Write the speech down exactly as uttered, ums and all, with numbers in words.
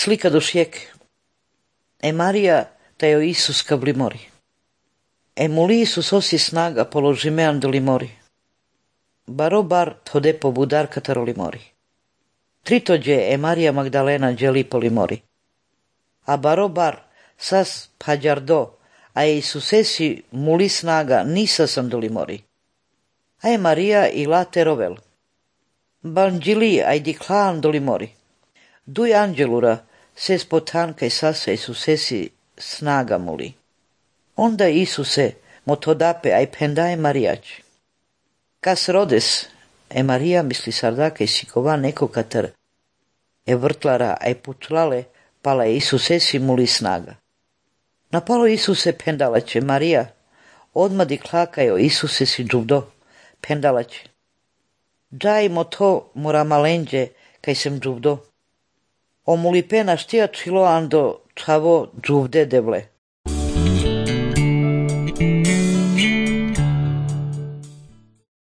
slika do šiek. E Maria tajo Isus kabli mori. E muli Isus osi snaga položimean doli mori. Barobar tode po budar kataroli mori. Tritođe e Maria Magdalena đeli poli mori. A barobar sas pađardo, a e Isusesi muli snaga nisa sam doli mori. A e Maria i late rovel. Banđili aj diklan doli mori. Duj anđelura ses potanka i sasa Isusesi snaga muli. Onda Isuse motodape aj pendaje Marijač. Kas rodes, e Maria misli sardaka i sikova neko katar e vrtlara aj putlale, pala je Isusesi muli snaga. Napalo Isuse pendalaće Marija, odmah diklakajo Isusesi džuvdo, pendalaće. Džajmo to mora malenđe, kaj sem džuvdo. O muli pena štija čilo ando čavo džuvde devle.